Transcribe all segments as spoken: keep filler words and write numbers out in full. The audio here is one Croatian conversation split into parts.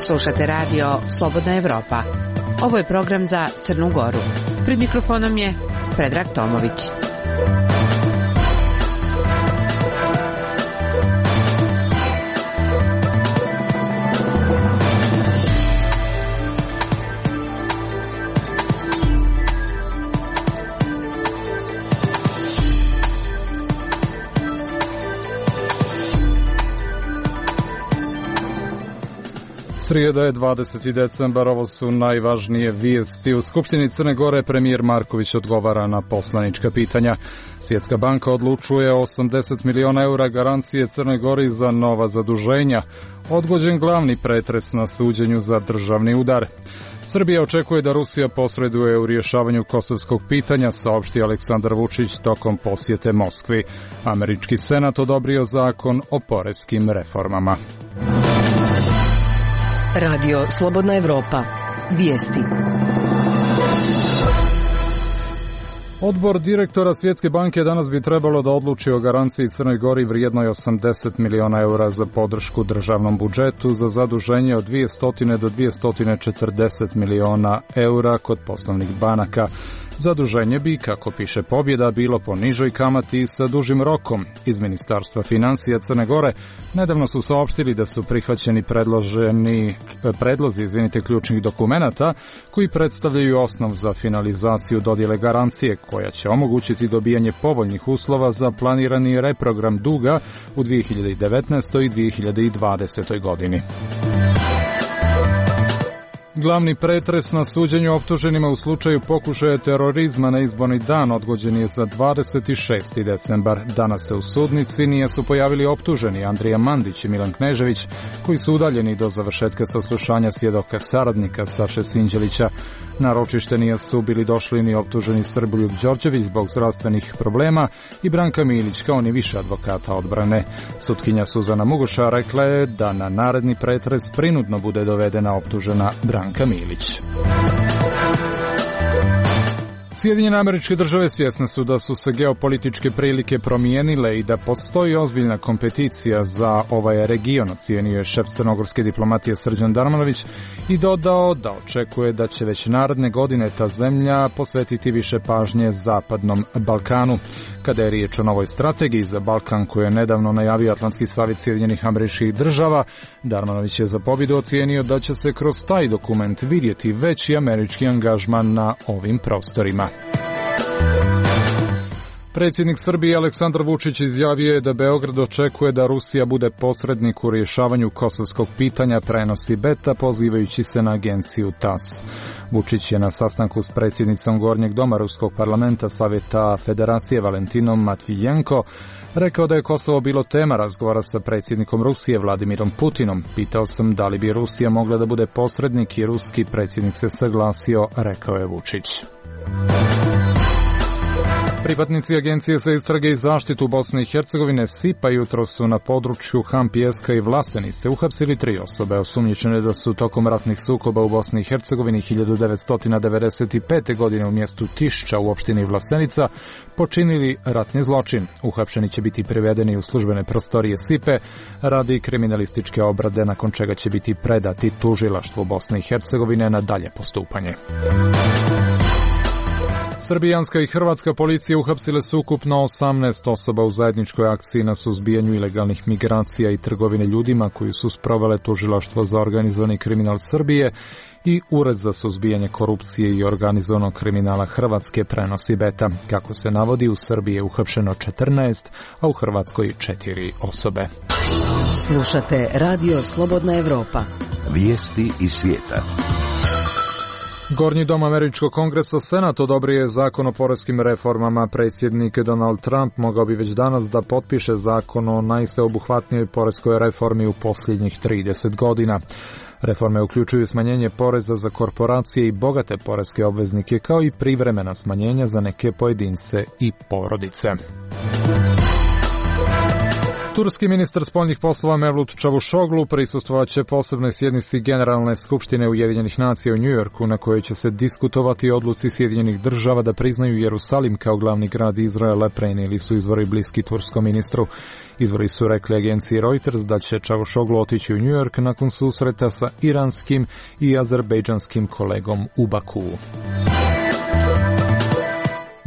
Slušate radio Slobodna Evropa. Ovo je program za Crnu Goru. Pred mikrofonom je Predrag Tomović. Srijeda je dvadeseti decembar, ovo su najvažnije vijesti. U Skupštini Crne Gore premijer Marković odgovara na poslanička pitanja. Svjetska banka odlučuje o osamdeset miliona eura garancije Crnoj Gori za nova zaduženja. Odgođen glavni pretres na suđenju za državni udar. Srbija očekuje da Rusija posreduje u rješavanju kosovskog pitanja, saopšti Aleksandar Vučić tokom posjete Moskvi. Američki senat odobrio zakon o poreskim reformama. Radio Slobodna Evropa. Vijesti. Odbor direktora Svjetske banke danas bi trebalo da odluči o garanciji Crnoj Gori vrijednoj osamdeset miliona eura za podršku državnom budžetu za zaduženje od dvjesto do dvjesto četrdeset miliona eura kod poslovnih banaka. Zaduženje bi, kako piše Pobjeda, bilo po nižoj kamati i sa dužim rokom. Iz Ministarstva financija Crne Gore nedavno su saopštili da su prihvaćeni predloženi predlozi izvinite, ključnih dokumenata koji predstavljaju osnov za finalizaciju dodjele garancije koja će omogućiti dobijanje povoljnih uslova za planirani reprogram duga u dvije hiljade devetnaestoj i dvije hiljade dvadesetoj godini. Glavni pretres na suđenju optuženima u slučaju pokušaja terorizma na izborni dan odgođen je za dvadeset šesti decembar. Danas se u sudnici nije su pojavili optuženi Andrija Mandić i Milan Knežević, koji su udaljeni do završetka saslušanja svjedoka saradnika Saše Sinđelića. Na ročište nije su bili došli ni optuženi Srboljub Đorđević zbog zdravstvenih problema i Branka Milić, kao ni više advokata odbrane. Sutkinja Suzana Mugoša rekla je da na naredni pretres prinudno bude dovedena optužena Branka Milić. Sjedinjene Američke Države svjesne su da su se geopolitičke prilike promijenile i da postoji ozbiljna kompeticija za ovaj region, ocijenio je šef crnogorske diplomatije Srđan Darmanović i dodao da očekuje da će već naredne godine ta zemlja posvetiti više pažnje Zapadnom Balkanu. Kada je riječ o novoj strategiji za Balkan koju je nedavno najavio Atlantski savjet Sjedinjenih Američkih Država, Darmanović je za pobjedu ocijenio da će se kroz taj dokument vidjeti veći američki angažman na ovim prostorima. Predsjednik Srbije Aleksandar Vučić izjavio je da Beograd očekuje da Rusija bude posrednik u rješavanju kosovskog pitanja, prenosi Beta, pozivajući se na agenciju TAS. Vučić je na sastanku s predsjednicom Gornjeg doma Ruskog parlamenta Savjeta Federacije Valentinom Matvijenko rekao da je Kosovo bilo tema razgovora sa predsjednikom Rusije Vladimirom Putinom. Pitao sam da li bi Rusija mogla da bude posrednik i ruski predsjednik se saglasio, rekao je Vučić. Pripadnici Agencije za istrage i zaštitu Bosne i Hercegovine S I P-a jutro su na području Han Pijeska i Vlasenice uhapsili tri osobe osumnjičene da su tokom ratnih sukoba u Bosni i Hercegovini hiljadu devetsto devedeset pete. godine u mjestu Tišća u opštini Vlasenica počinili ratni zločin. Uhapšeni će biti privedeni u službene prostorije S I P-e radi kriminalističke obrade, nakon čega će biti predati tužilaštvu Bosne i Hercegovine na dalje postupanje. Srbijanska i hrvatska policija uhapsile su ukupno osamnaest osoba u zajedničkoj akciji na suzbijanju ilegalnih migracija i trgovine ljudima koju su sprovele Tužilaštvo za organizovani kriminal Srbije i Ured za suzbijanje korupcije i organizovanog kriminala Hrvatske, prenosi Beta. Kako se navodi, u Srbiji je uhapšeno četrnaest, a u Hrvatskoj četiri osobe. Slušate Radio Slobodna Evropa. Vijesti iz svijeta. Gornji dom Američkog kongresa Senat odobrio je zakon o poreskim reformama. Predsjednik Donald Trump mogao bi već danas da potpiše zakon o najsveobuhvatnijoj poreskoj reformi u posljednjih trideset godina. Reforme uključuju smanjenje poreza za korporacije i bogate poreske obveznike, kao i privremena smanjenja za neke pojedince i porodice. Turski ministar spoljnih poslova Mevlut Čavuşoglu prisustvovat će posebnoj sjednici Generalne skupštine Ujedinjenih nacija u Njujorku, na kojoj će se diskutovati o odluci Sjedinjenih država da priznaju Jerusalim kao glavni grad Izraela, prenijeli su izvori bliski turskom ministru. Izvori su rekli agenciji Reuters da će Čavuşoglu otići u Njujork nakon susreta sa iranskim i azerbejdžanskim kolegom u Bakuu.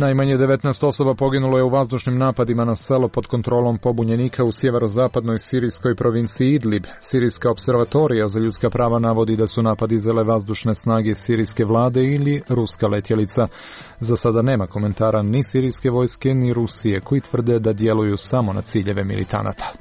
Najmanje devetnaest osoba poginulo je u vazdušnim napadima na selo pod kontrolom pobunjenika u sjeverozapadnoj sirijskoj provinciji Idlib. Sirijska observatorija za ljudska prava navodi da su napad izvele vazdušne snage sirijske vlade ili ruska letjelica. Za sada nema komentara ni sirijske vojske ni Rusije, koji tvrde da djeluju samo na ciljeve militanata.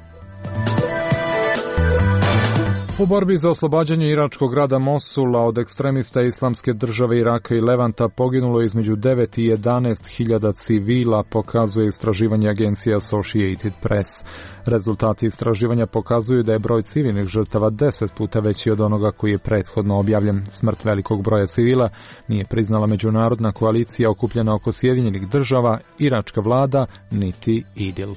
U borbi za oslobađanje iračkog grada Mosula od ekstremista Islamske države Iraka i Levanta poginulo je između devet i jedanaest hiljada civila, pokazuje istraživanje agencije Associated Press. Rezultati istraživanja pokazuju da je broj civilnih žrtava deset puta veći od onoga koji je prethodno objavljen. Smrt velikog broja civila nije priznala međunarodna koalicija okupljena oko Sjedinjenih država, iračka vlada, niti IDIL.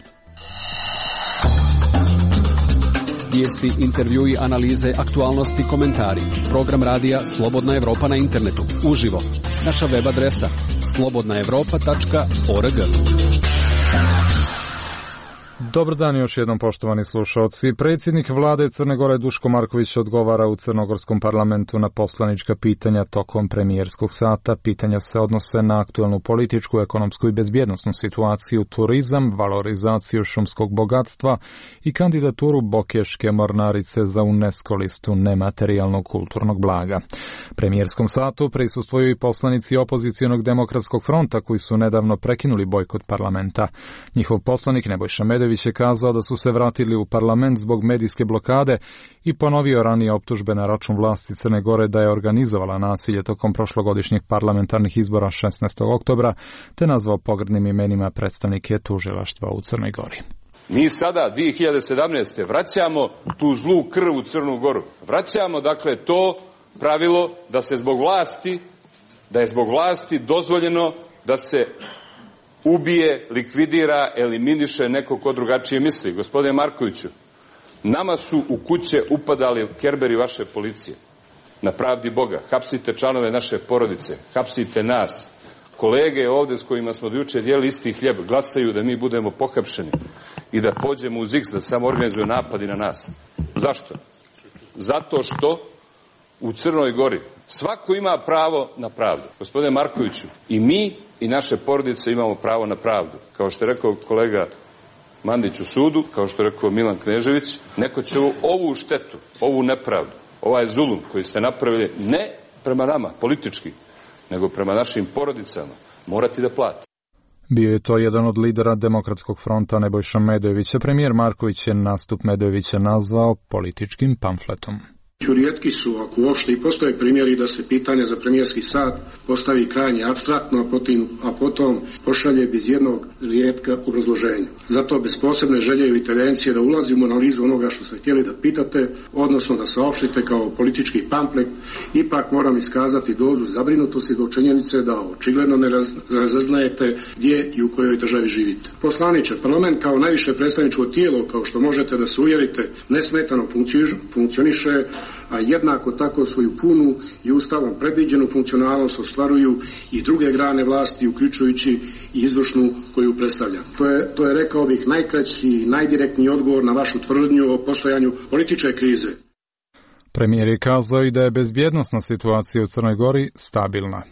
Vijesti, intervjui, analize, aktualnosti, komentari. Program radija Slobodna Evropa na internetu. Uživo. Naša web adresa slobodna evropa tačka org. Dobar dan još jednom, poštovani slušalci. Predsjednik vlade Crne Gore Duško Marković odgovara u crnogorskom parlamentu na poslanička pitanja tokom premijerskog sata. Pitanja se odnose na aktualnu političku, ekonomsku i bezbjednosnu situaciju, turizam, valorizaciju šumskog bogatstva i kandidaturu Bokeške mornarice za UNESCO listu nematerijalnog kulturnog blaga. Premijerskom satu prisustvuju i poslanici opozicionog demokratskog fronta koji su nedavno prekinuli bojkot parlamenta. Njihov poslanik Nebojša Medović je kazao da su se vratili u parlament zbog medijske blokade i ponovio ranije optužbe na račun vlasti Crne Gore da je organizovala nasilje tokom prošlogodišnjih parlamentarnih izbora šesnaestog oktobra, te nazvao pogrdnim imenima predstavnike tužilaštva u Crnoj Gori. Mi sada, dvije hiljade sedamnaeste. vraćamo tu zlu krv u Crnu Goru. Vraćamo, dakle, to pravilo da se zbog vlasti, da je zbog vlasti dozvoljeno da se ubije, likvidira, eliminiše neko ko drugačije misli. Gospodine Markoviću, nama su u kuće upadali kerberi vaše policije. Na pravdi Boga. Hapsite članove naše porodice. Hapsite nas. Kolege ovdje s kojima smo do juče dijeli isti hljeb glasaju da mi budemo pohapšeni i da pođemo u ziks, da samo organizuju napadi na nas. Zašto? Zato što u Crnoj Gori svako ima pravo na pravdu. Gospodine Markoviću, i mi i naše porodice imamo pravo na pravdu. Kao što je rekao kolega Mandić u sudu, kao što je rekao Milan Knežević, neko će ovu, ovu štetu, ovu nepravdu, ovaj zulum koji ste napravili ne prema nama, politički, nego prema našim porodicama, morati da plati. Bio je to jedan od lidera Demokratskog fronta Nebojša Medojevića. Premijer Marković je nastup Medojevića nazvao političkim pamfletom. Rijetki su, ako uopšte i postoje primjeri da se pitanje za premijerski sat postavi krajnje apstraktno, a potom, a potom pošalje bez jednog rijetka obrazloženja. Zato bez posebne želje ili tendencije da ulazimo u analizu onoga što ste htjeli da pitate, odnosno da saopštite kao politički pamflet, ipak moram iskazati dozu zabrinutosti do činjenice da očigledno ne raz, razaznajete gdje i u kojoj državi živite. Poslaniče, parlament kao najviše predstavničko tijelo, kao što možete da se uvjerite, nesmetano funkcioniše, a jednako tako svoju punu i ustavom predviđenu funkcionalnost ostvaruju i druge grane vlasti, uključujući i izvršnu koju predstavljam. To je, to je rekao bih, najkraći i najdirektniji odgovor na vašu tvrdnju o postojanju političke krize. Premijer je kazao i da je bezbjednosna situacija u Crnoj Gori stabilna.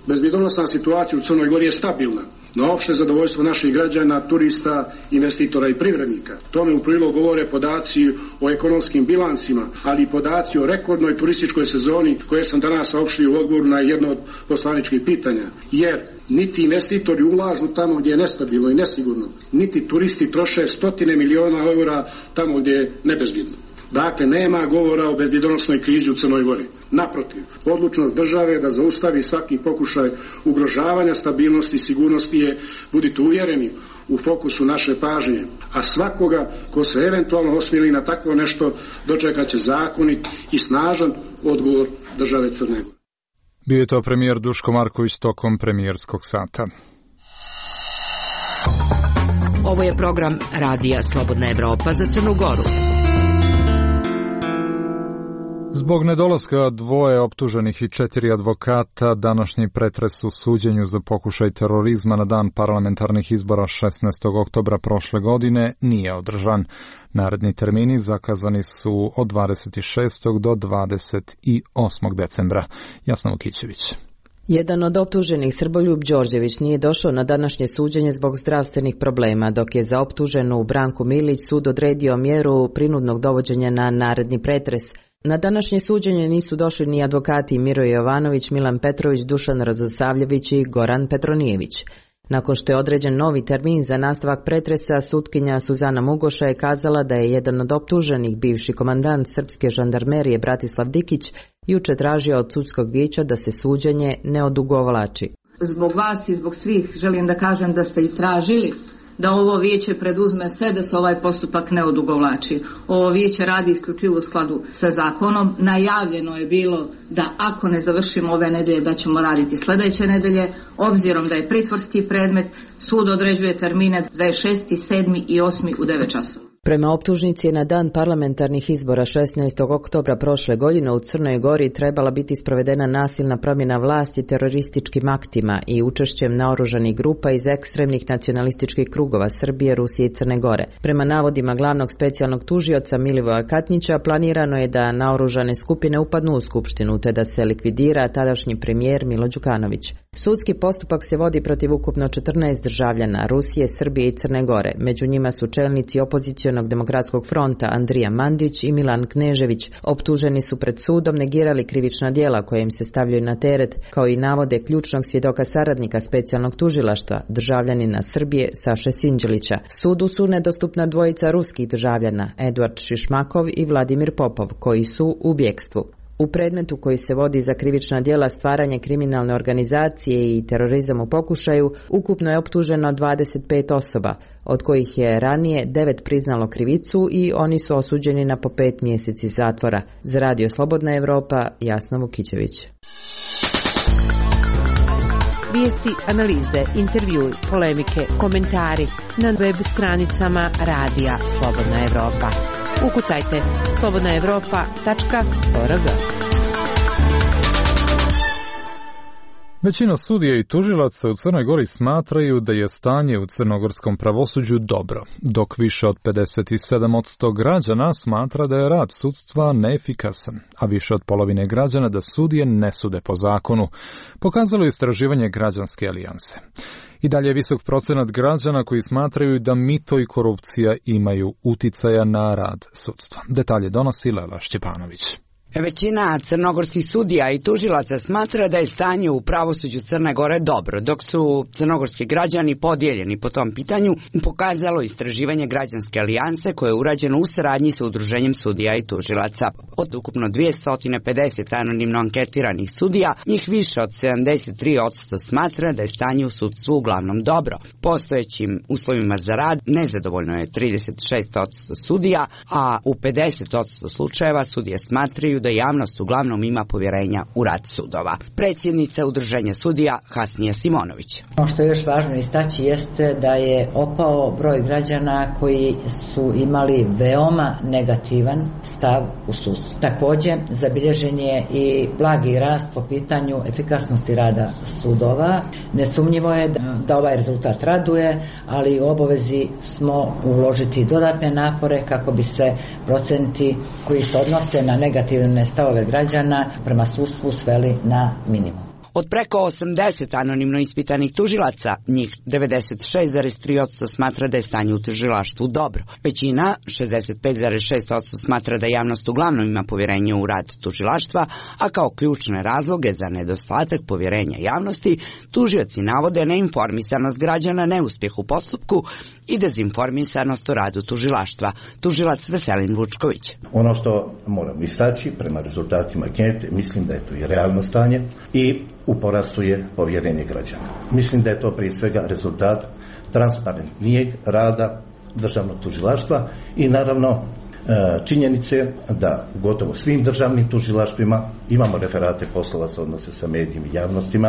Bezbjednosna situacija u Crnoj Gori je stabilna, na opšte zadovoljstvo naših građana, turista, investitora i privrednika. Tome u prilog govore podaci o ekonomskim bilansima, ali i podaci o rekordnoj turističkoj sezoni koje sam danas saopštio u odgovoru na jedno od poslaničkih pitanja. Jer niti investitori ulažu tamo gdje je nestabilno i nesigurno, niti turisti troše stotine miliona eura tamo gdje je nebezbjedno. Dakle, nema govora o bezbjednosnoj krizi u Crnoj Gori. Naprotiv, odlučnost države da zaustavi svaki pokušaj ugrožavanja stabilnosti i sigurnosti je, budite uvjereni, u fokusu naše pažnje. A svakoga ko se eventualno osmili na takvo nešto dočekat će zakonit i snažan odgovor države Crne Gore. Bio je to premijer Duško Marković tokom premijerskog sata. Ovo je program Radija Slobodna Evropa za Crnu Goru. Zbog nedolaska dvoje optuženih i četiri advokata, današnji pretres u suđenju za pokušaj terorizma na dan parlamentarnih izbora šesnaestog oktobra prošle godine nije održan. Naredni termini zakazani su od dvadeset šestog do dvadeset osmog decembra. Jasna Vukićević. Jedan od optuženih, Srboljub Đorđević, nije došao na današnje suđenje zbog zdravstvenih problema, dok je za optuženu Branku Milić sud odredio mjeru prinudnog dovođenja na naredni pretres. Na današnje suđenje nisu došli ni advokati Miro Jovanović, Milan Petrović, Dušan Radosavljević i Goran Petronijević. Nakon što je određen novi termin za nastavak pretresa, sutkinja Suzana Mugoša je kazala da je jedan od optuženih, bivši komandant srpske žandarmerije Bratislav Dikić, juče tražio od sudskog vijeća da se suđenje ne odugovlači. Zbog vas i zbog svih želim da kažem da ste i tražili da ovo vijeće preduzme sve da se ovaj postupak ne odugovlači. Ovo vijeće radi isključivo u skladu sa zakonom. Najavljeno je bilo da ako ne završimo ove nedelje da ćemo raditi sljedeće nedelje. Obzirom da je pritvorski predmet, sud određuje termine dvadeset šestog, sedmog i osmog u devet časova. Prema optužnici, na dan parlamentarnih izbora šesnaestog oktobra prošle godine u Crnoj Gori trebala biti sprovedena nasilna promjena vlasti terorističkim aktima i učešćem naoružanih grupa iz ekstremnih nacionalističkih krugova Srbije, Rusije i Crne Gore. Prema navodima glavnog specijalnog tužioca Milivoja Katnića, planirano je da naoružane skupine upadnu u skupštinu te da se likvidira tadašnji premijer Milo Đukanović. Sudski postupak se vodi protiv ukupno četrnaest državljana Rusije, Srbije i Crne Gore. Među njima su čelnici opozicionog demokratskog fronta Andrija Mandić i Milan Knežević. Optuženi su pred sudom negirali krivična djela koje im se stavljaju na teret, kao i navode ključnog svjedoka saradnika specijalnog tužilaštva, državljanina Srbije Saše Sinđelića. Sudu su nedostupna dvojica ruskih državljana, Eduard Šišmakov i Vladimir Popov, koji su u bjekstvu. U predmetu koji se vodi za krivična djela stvaranje kriminalne organizacije i terorizam u pokušaju, ukupno je optuženo dvadeset pet osoba, od kojih je ranije devet priznalo krivicu i oni su osuđeni na po pet mjeseci zatvora. Za Radio Slobodna Evropa, Jasna Vukićević. Vijesti, analize, intervjui, polemike, komentari na web stranicama Radija Slobodna Evropa. Ukucajte slobodna evropa tačka org. Većina sudija i tužilaca u Crnoj Gori smatraju da je stanje u crnogorskom pravosuđu dobro, dok više od pedeset sedam posto građana smatra da je rad sudstva neefikasan, a više od polovine građana da sudije ne sude po zakonu, pokazalo je istraživanje Građanske alijanse. I dalje je visok procenat građana koji smatraju da mito i korupcija imaju uticaja na rad sudstva. Detalje donosi Lela Šćepanović. Većina crnogorskih sudija i tužilaca smatra da je stanje u pravosuđu Crne Gore dobro, dok su crnogorski građani podijeljeni po tom pitanju, pokazalo istraživanje Građanske alijanse koje je urađeno u saradnji sa Udruženjem sudija i tužilaca. Od ukupno dvjesto pedeset anonimno anketiranih sudija, njih više od sedamdeset tri posto smatra da je stanje u sudstvu uglavnom dobro. Postojećim uslovima za rad nezadovoljno je trideset šest posto sudija, a u pedeset posto slučajeva sudije smatraju da javnost uglavnom ima povjerenja u rad sudova. Predsjednica Udruženja sudija Hasnija Simonović. Ono što je još važno istaći jeste da je opao broj građana koji su imali veoma negativan stav u sudstvu. Također zabilježen je i blagi rast po pitanju efikasnosti rada sudova. Nesumnjivo je da ovaj rezultat raduje, ali u obavezi smo uložiti dodatne napore kako bi se procenti koji se odnose na negativne stavove građana prema sudstvu sveli na minimum. Od preko osamdeset anonimno ispitanih tužilaca, njih devedeset šest zarez tri posto smatra da je stanje u tužilaštvu dobro. Većina, šezdeset pet zarez šest posto smatra da javnost uglavnom ima povjerenje u rad tužilaštva, a kao ključne razloge za nedostatak povjerenja javnosti, tužioci navode neinformisanost građana, neuspjeh u postupku i dezinformisanost o radu tužilaštva. Tužilac Veselin Vučković. Ono što moram istaći prema rezultatima ankete, mislim da je to i realno stanje i u porastu je povjerenje građana. Mislim da je to prije svega rezultat transparentnijeg rada državnog tužilaštva i naravno činjenice da u gotovo svim državnim tužilaštvima imamo referate poslova se odnose sa medijima i javnostima.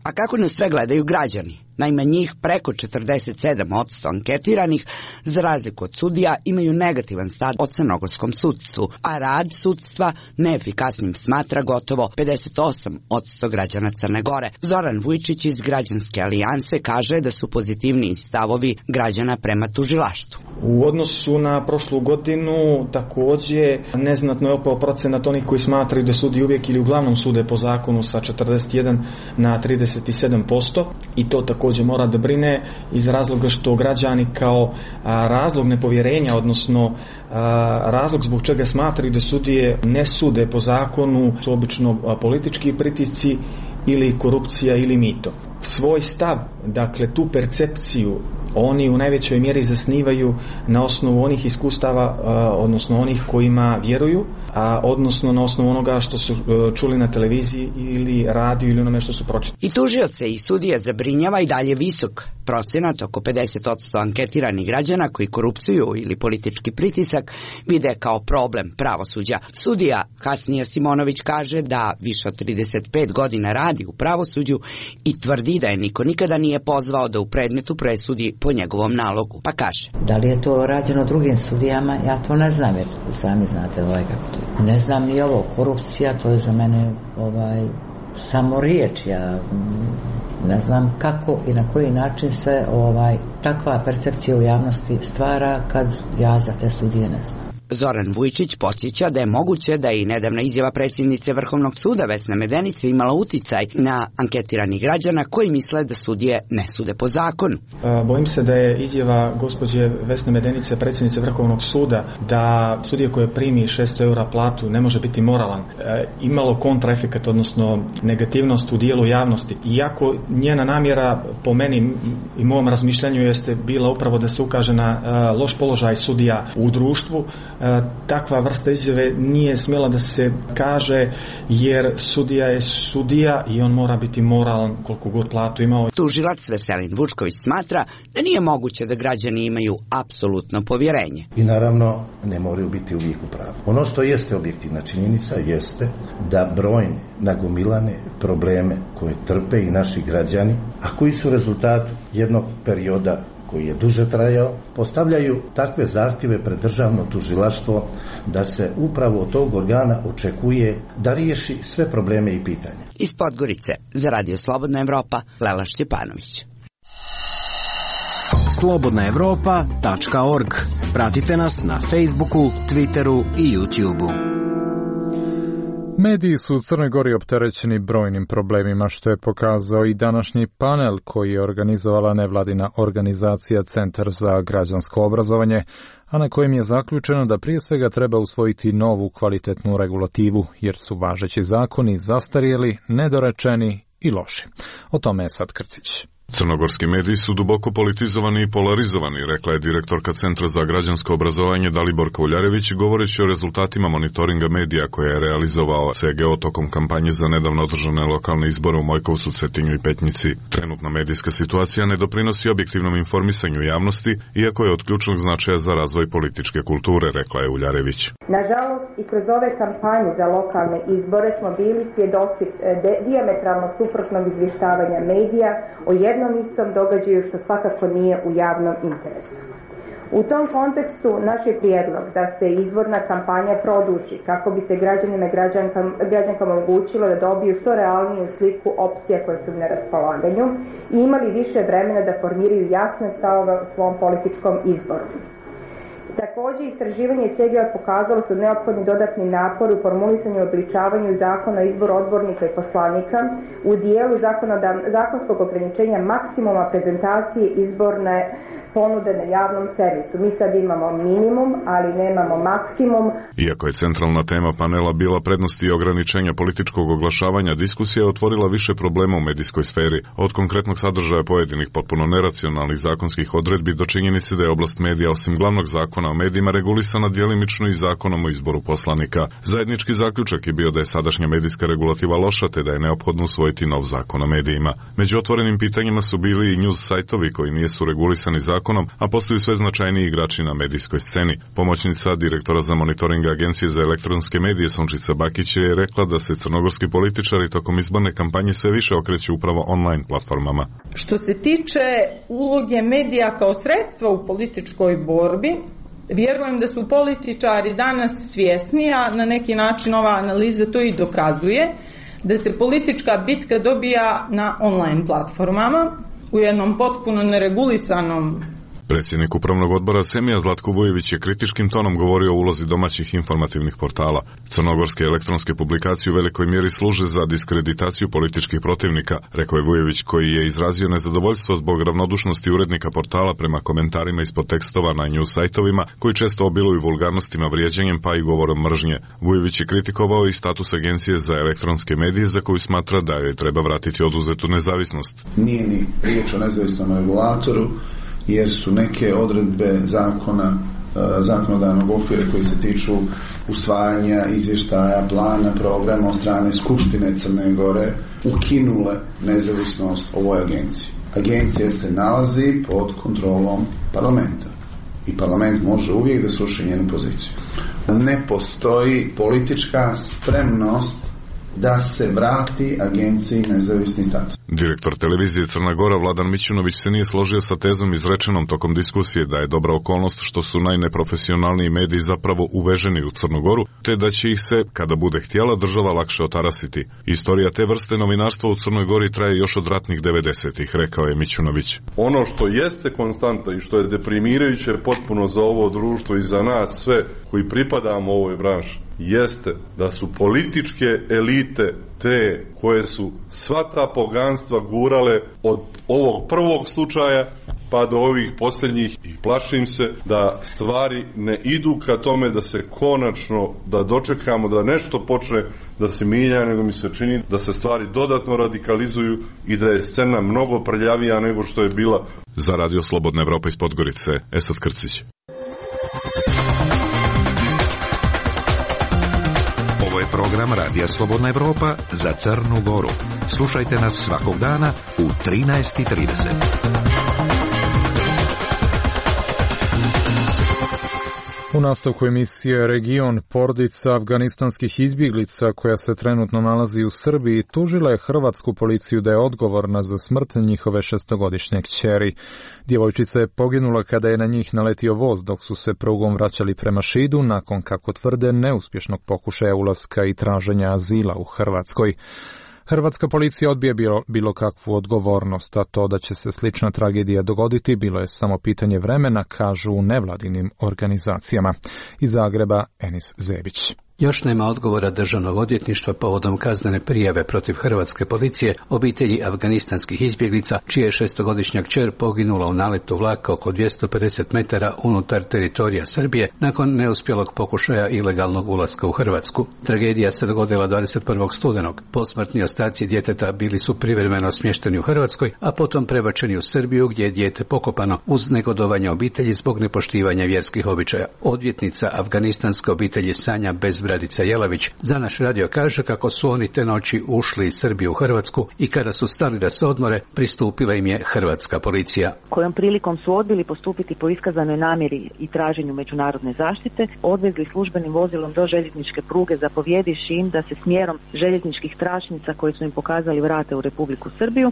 A kako nas sve gledaju građani? Naime, njih preko četrdeset sedam posto anketiranih, za razliku od sudija, imaju negativan stav o crnogorskom sudstvu, a rad sudstva neefikasnim smatra gotovo pedeset osam posto građana Crne Gore. Zoran Vujčić iz Građanske alijanse kaže da su pozitivniji stavovi građana prema tužilaštvu. U odnosu na prošlu godinu također neznatno je opao procenat onih koji smatraju da sudi uvijek ili uglavnom sude po zakonu sa četrdeset jedan na trideset sedam posto i to također mora da brine iz razloga što građani kao a, razlog nepovjerenja, odnosno a, razlog zbog čega smatraju da sudije ne sude po zakonu su obično a, politički pritisci ili korupcija ili mito. Svoj stav, dakle tu percepciju, oni u najvećoj mjeri zasnivaju na osnovu onih iskustava, odnosno onih kojima vjeruju, a odnosno na osnovu onoga što su čuli na televiziji ili radiju ili onome što su pročitali. I tužioce i sudije zabrinjava i dalje visok procenat, oko pedeset posto anketiranih građana koji korupciju ili politički pritisak vide kao problem pravosuđa. Sudija Hasnija Simonović kaže da više od trideset pet godina radi u pravosuđu i tvrdi da je niko nikada nije pozvao da u predmetu presudi po njegovom nalogu, pa kaže. Da li je to rađeno drugim sudijama, ja to ne znam, jer sami znate ovaj kako to je. Ne znam ni ovo, korupcija, to je za mene ovaj, samo riječ, ja ne znam kako i na koji način se ovaj, takva percepcija u javnosti stvara kad ja za te sudije ne znam. Zoran Vujčić podsjeća da je moguće da je i nedavna izjava predsjednice Vrhovnog suda Vesne Medenice imala uticaj na anketiranih građana koji misle da sudije ne sude po zakonu. Bojim se da je izjava gospođe Vesne Medenice, predsjednice Vrhovnog suda, da sudije koje primi šesto eura platu ne može biti moralan, imalo kontraefekat, odnosno negativnost u dijelu javnosti. Iako njena namjera po meni i mom razmišljanju jeste bila upravo da se ukaže na loš položaj sudija u društvu, takva vrsta izjave nije smjela da se kaže, jer sudija je sudija i on mora biti moralan koliko god platu imao. Tužilac Veselin Vučković smatra da nije moguće da građani imaju apsolutno povjerenje. I naravno ne moraju biti uvijek u pravu. Ono što jeste objektivna činjenica jeste da brojne nagomilane probleme koje trpe i naši građani, a koji su rezultat jednog perioda koji je duže trajao, postavljaju takve zahtjeve pred državno tužilaštvo da se upravo od tog organa očekuje da riješi sve probleme i pitanja. Iz Podgorice za Radio Slobodna Evropa, Lela Šćepanović. slobodna evropa tačka org. Pratite nas na Facebooku, Twitteru i YouTubeu. Mediji su u Crnoj Gori opterećeni brojnim problemima, što je pokazao i današnji panel koji je organizovala nevladina organizacija Centar za građansko obrazovanje, a na kojem je zaključeno da prije svega treba usvojiti novu kvalitetnu regulativu, jer su važeći zakoni zastarjeli, nedorečeni i loši. O tome je sad Krcić. Crnogorski mediji su duboko politizovani i polarizovani, rekla je direktorka Centra za građansko obrazovanje Daliborka Uljarević, govoreći o rezultatima monitoringa medija koje je realizovao C G O tokom kampanje za nedavno održane lokalne izbore u Mojkovcu, Cetinju i Petnici. Trenutna medijska situacija ne doprinosi objektivnom informisanju javnosti, iako je od ključnog značaja za razvoj političke kulture, rekla je Uljarević. Nažalost, i kroz ove kampanje za lokalne izbore smo bili svjedoci dijametralno suprotnog izvještavanja medija o jednom istom događaju što svakako nije u javnom interesu. U tom kontekstu naš je prijedlog da se izborna kampanja produži kako bi se građanima i građankama omogućilo da dobiju što realniju sliku opcija koje su na raspolaganju i imali više vremena da formiraju jasne stavove u svom političkom izboru. Također, istraživanje C G O pokazalo su neophodni dodatni napor u formulisanju i obličavanju zakona o izboru odbornika i poslanika u dijelu zakonskog ograničenja maksimuma prezentacije izborne ponude na javnom servisu. Mi sad imamo minimum, ali nemamo maksimum. Iako je centralna tema panela bila prednosti i ograničenja političkog oglašavanja, diskusija je otvorila više problema u medijskoj sferi, od konkretnog sadržaja pojedinih potpuno neracionalnih zakonskih odredbi do činjenice da je oblast medija osim glavnog zakona zakona o medijima regulisana djelimično i zakonom o izboru poslanika. Zajednički zaključak je bio da je sadašnja medijska regulativa loša, te da je neophodno usvojiti nov zakon o medijima. Među otvorenim pitanjima su bili i news sajtovi koji nisu regulisani zakonom, a postaju sve značajniji igrači na medijskoj sceni. Pomoćnica direktora za monitoring Agencije za elektronske medije Sunčica Bakić je rekla da se crnogorski političari tokom izborne kampanje sve više okreću upravo online platformama. Što se tiče uloge medija kao sredstva u političkoj borbi, vjerujem da su političari danas svjesni, a na neki način ova analiza to i dokazuje, da se politička bitka dobija na online platformama u jednom potpuno neregulisanom. Predsjednik upravnog odbora Semija Zlatko Vujević je kritičkim tonom govorio o ulozi domaćih informativnih portala. Crnogorske elektronske publikacije u velikoj mjeri služe za diskreditaciju političkih protivnika, rekao je Vujević, koji je izrazio nezadovoljstvo zbog ravnodušnosti urednika portala prema komentarima ispod tekstova na news sajtovima, koji često obiluju vulgarnostima, vrijeđanjem pa i govorom mržnje. Vujević je kritikovao i status Agencije za elektronske medije, za koju smatra da joj treba vratiti oduzetu nezavisnost. Nije ni riječ o nezavisnom regulatoru, jer su neke odredbe zakona, zakonodavnog okvira koji se tiču usvajanja izvještaja, plana, programa od strane Skupštine Crne Gore ukinule nezavisnost ovoj agenciji. Agencija se nalazi pod kontrolom parlamenta i parlament može uvijek da sruši njenu poziciju. Ne postoji politička spremnost da se vrati agenciji nezavisni status. Direktor televizije Crna Gora Vladan Mićunović se nije složio sa tezom izrečenom tokom diskusije da je dobra okolnost što su najneprofesionalniji mediji zapravo uveženi u Crnu Goru, te da će ih se, kada bude htjela, država lakše otarasiti. Istorija te vrste novinarstva u Crnoj Gori traje još od ratnih devedesetih, rekao je Mićunović. Ono što jeste konstanta i što je deprimirajuće potpuno za ovo društvo i za nas sve koji pripadamo ovoj branši, jeste da su političke elite te koje su sva ta poganstva gurale od ovog prvog slučaja pa do ovih posljednjih, i plašim se da stvari ne idu ka tome da se konačno, da dočekamo da nešto počne da se mijenja, nego mi se čini da se stvari dodatno radikalizuju i da je scena mnogo prljavija nego što je bila. Za Radio Slobodna Evropa iz Podgorice, Esad Krcić. Ovo je program Radija Slobodna Evropa za Crnu Goru. Slušajte nas svakog dana u trinaest i trideset. U nastavku emisije Region, porodica afganistanskih izbjeglica koja se trenutno nalazi u Srbiji tužila je hrvatsku policiju da je odgovorna za smrt njihove šestogodišnje kćeri. Djevojčica je poginula kada je na njih naletio voz dok su se prugom vraćali prema Šidu nakon, kako tvrde, neuspješnog pokušaja ulaska i traženja azila u Hrvatskoj. Hrvatska policija odbija bilo, bilo kakvu odgovornost, a to da će se slična tragedija dogoditi bilo je samo pitanje vremena, kažu u nevladinim organizacijama. Iz Zagreba, Enis Zebić. Još nema odgovora državnog odvjetništva povodom kaznene prijave protiv hrvatske policije obitelji afganistanskih izbjeglica, čija je šestogodišnja kćer poginula u naletu vlaka oko dvjesto pedeset metara unutar teritorija Srbije nakon neuspjelog pokušaja ilegalnog ulaska u Hrvatsku. Tragedija se dogodila dvadeset prvog studenog. Posmrtni ostaci djeteta bili su privremeno smješteni u Hrvatskoj, a potom prebačeni u Srbiju gdje je dijete pokopano uz negodovanje obitelji zbog nepoštivanja vjerskih običaja. Odvjetnica afganistanske obitelji Sanja Bezbradica Jelavić za naš radio kaže kako su oni te noći ušli iz Srbije u Hrvatsku i kada su stali da se odmore, pristupila im je hrvatska policija. Kojom prilikom su odbili postupiti po iskazanoj namjeri i traženju međunarodne zaštite, odvezli službenim vozilom do željezničke pruge zapovjedivši im da se smjerom željezničkih tračnica koje su im pokazali vrate u Republiku Srbiju,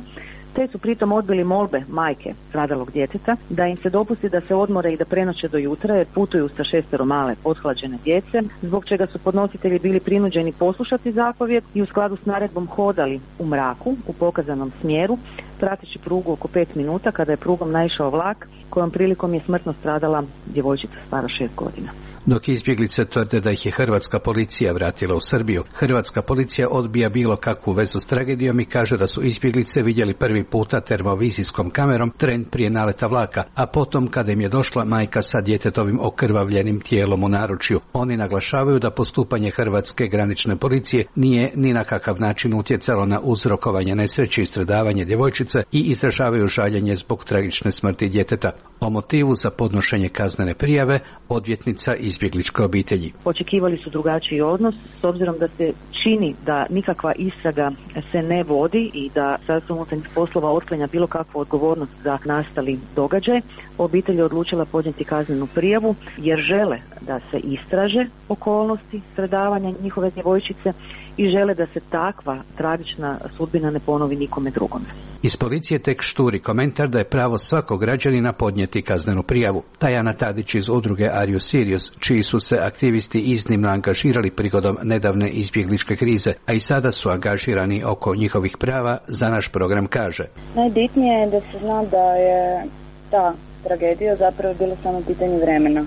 te su pritom odbili molbe majke stradalog djeteta da im se dopusti da se odmore i da prenoće do jutra jer putuju sa šestero male pothlađene djece, zbog čega su podnositelji bili prinuđeni poslušati zapovjed i u skladu s naredbom hodali u mraku u pokazanom smjeru, prateći prugu oko pet minuta kada je prugom naišao vlak kojom prilikom je smrtno stradala djevojčica stara šest godina. Dok izbjeglice tvrde da ih je hrvatska policija vratila u Srbiju, hrvatska policija odbija bilo kakvu vezu s tragedijom i kaže da su izbjeglice vidjeli prvi puta termovizijskom kamerom tren prije naleta vlaka, a potom kada im je došla majka sa djetetovim okrvavljenim tijelom u naručju. Oni naglašavaju da postupanje hrvatske granične policije nije ni na kakav način utjecalo na uzrokovanje nesreće i stradavanje djevojčice, djevojčice i izražavaju žaljenje zbog tragične smrti djeteta. O motivu za podnošenje kaznene prijave odvjetnica izbjegličke obitelji. Očekivali su drugačiji odnos s obzirom da se čini da nikakva istraga se ne vodi i da Ministarstvo unutarnjih poslova otklanja bilo kakvu odgovornost za nastali događaj. Obitelj je odlučila podnijeti kaznenu prijavu jer žele da se istraže okolnosti stradavanja njihove djevojčice i žele da se takva tragična sudbina ne ponovi nikome drugome. Iz policije tek šturi komentar da je pravo svakog građanina podnijeti kaznenu prijavu. Tajana Tadić iz udruge Are You Serious, čiji su se aktivisti iznimno angažirali prigodom nedavne izbjegličke krize, a i sada su angažirani oko njihovih prava, za naš program kaže. Najbitnije je da se zna da je ta tragedija zapravo bilo samo pitanje vremena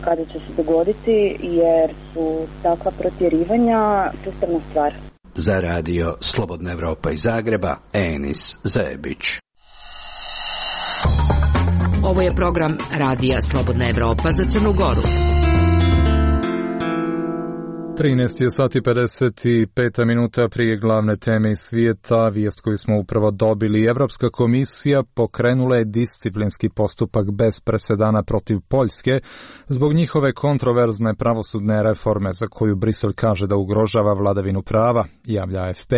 kada će se dogoditi, jer su takva protjerivanja sustavna stvar. Za radio Slobodna Evropa iz Zagreba, Enis Zebić. Ovo je program radija Slobodna Evropa za Crnu Goru. trinaest je sati pedeset pet minuta prije glavne teme iz svijeta. Vijest koju smo upravo dobili. Evropska komisija pokrenula je disciplinski postupak bez presedana protiv Poljske zbog njihove kontroverzne pravosudne reforme za koju Brisel kaže da ugrožava vladavinu prava, javlja A F P.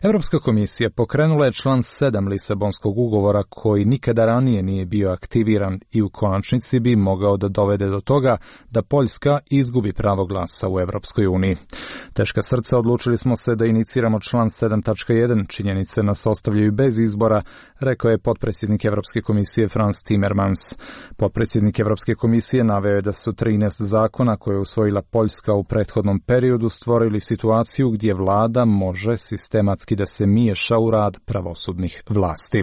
Evropska komisija pokrenula je član sedam Lisabonskog ugovora koji nikada ranije nije bio aktiviran i u konačnici bi mogao da dovede do toga da Poljska izgubi pravo glasa u Evropskoj uniji. Teška srca, odlučili smo se da iniciramo član sedam tačka jedan. Činjenice nas ostavljaju bez izbora, rekao je potpredsjednik Evropske komisije Frans Timmermans. Potpredsjednik Evropske komisije naveo je da su trinaest zakona koje je usvojila Poljska u prethodnom periodu stvorili situaciju gdje vlada može sistematski da se miješa u rad pravosudnih vlasti.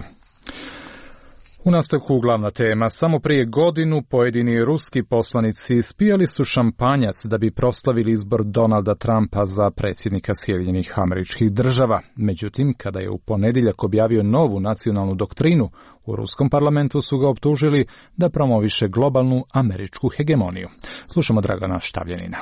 U nastavku glavna tema. Samo prije godinu pojedini ruski poslanici ispijali su šampanjac da bi proslavili izbor Donalda Trumpa za predsjednika Sjedinjenih Američkih Država. Međutim, kada je u ponedjeljak objavio novu nacionalnu doktrinu, u ruskom parlamentu su ga optužili da promoviše globalnu američku hegemoniju. Slušamo Dragana Štavljanina.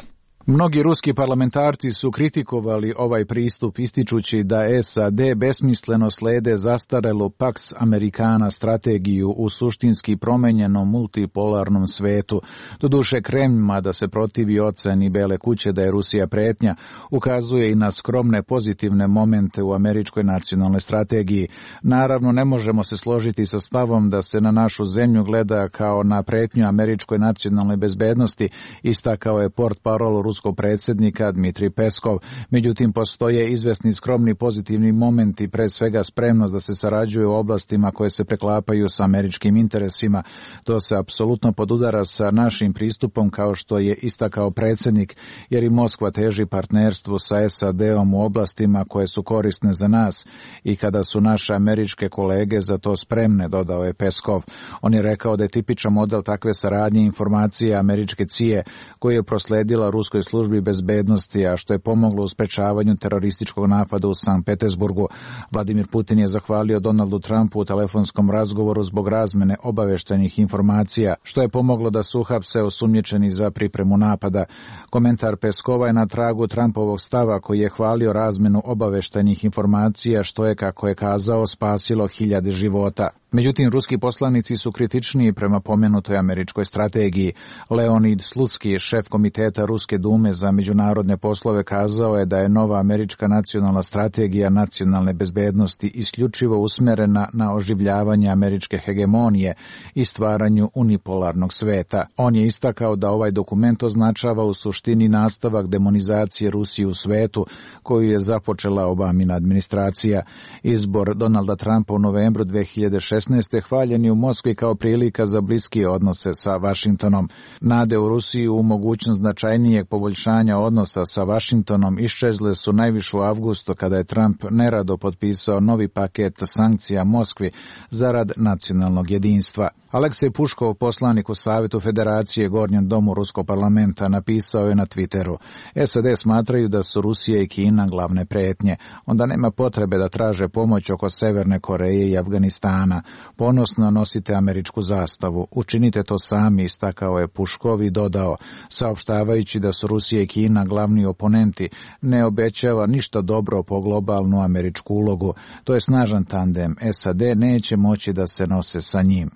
Mnogi ruski parlamentarci su kritikovali ovaj pristup ističući da S A D besmisleno slede zastarelu Pax Americana strategiju u suštinski promenjenom multipolarnom svetu. Doduše Kremlj, mada se protivi oceni Bele kuće da je Rusija pretnja, ukazuje i na skromne pozitivne momente u američkoj nacionalnoj strategiji. Naravno, ne možemo se složiti sa stavom da se na našu zemlju gleda kao na pretnju američkoj nacionalnoj bezbednosti, istakao je portparol ruskog predsjednika Dmitrij Peskov. Međutim, postoje izvesni skromni pozitivni momenti, pre svega spremnost da se sarađuje u oblastima koje se preklapaju sa američkim interesima. To se apsolutno podudara sa našim pristupom, kao što je istakao predsjednik, jer i Moskva teži partnerstvu sa S A D-om u oblastima koje su korisne za nas i kada su naše američke kolege za to spremne, dodao je Peskov. On je rekao da je tipičan model takve saradnje informacije američke C I A koju je prosledila ruskoj službi bezbednosti, a što je pomoglo u sprečavanju terorističkog napada u Sankt Petersburgu. Vladimir Putin je zahvalio Donaldu Trumpu u telefonskom razgovoru zbog razmene obaveštenih informacija, što je pomoglo da su uhapse osumnjičeni za pripremu napada. Komentar Peskova je na tragu Trumpovog stava koji je hvalio razmenu obaveštenih informacija, što je, kako je kazao, spasilo hiljade života. Međutim, ruski poslanici su kritičniji prema pomenutoj američkoj strategiji. Leonid Slutski, šef komiteta Ruske dume za međunarodne poslove, kazao je da je nova američka nacionalna strategija nacionalne bezbednosti isključivo usmjerena na oživljavanje američke hegemonije i stvaranju unipolarnog sveta. On je istakao da ovaj dokument označava u suštini nastavak demonizacije Rusije u svetu koju je započela Obamina administracija. Izbor Donalda Trumpa u novembru dve hiljade šesnaeste. hvaljen je u Moskvi kao prilika za bliske odnose sa Vašingtonom. Nade u Rusiji u mogućnost značajnijeg poboljšanja odnosa sa Vašingtonom iščezle su najviše u avgustu kada je Trump nerado potpisao novi paket sankcija Moskvi zarad nacionalnog jedinstva. Aleksej Puškov, poslanik u Savjetu Federacije Gornjem domu Ruskog parlamenta, napisao je na Twitteru: S A D smatraju da su Rusija i Kina glavne pretnje, onda nema potrebe da traže pomoć oko Severne Koreje i Afganistana. Ponosno nosite američku zastavu. Učinite to sami, istakao je Puškov i dodao, saopštavajući da su Rusija i Kina glavni oponenti, ne obećava ništa dobro po globalnu američku ulogu. To je snažan tandem. S A D neće moći da se nose sa njim.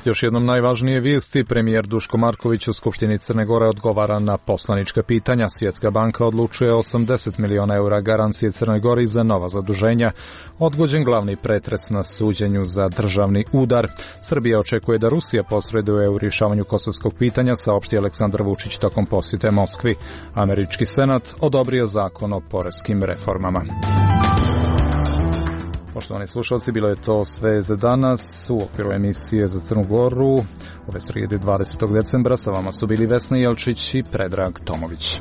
Još jednom najvažnije vijesti, premijer Duško Marković u Skupštini Crne Gore odgovara na poslanička pitanja. Svjetska banka odlučuje osamdeset miliona eura garancije Crnoj Gori za nova zaduženja. Odgođen glavni pretres na suđenju za državni udar. Srbija očekuje da Rusija posreduje u rješavanju kosovskog pitanja, saopšti Aleksandar Vučić tokom posjete Moskvi. Američki senat odobrio zakon o poreskim reformama. Poštovani slušalci, bilo je to sve za danas u okviru emisije za Crnu Goru. Ove srijede dvadesetog decembra sa vama su bili Vesna Jelčić i Predrag Tomović.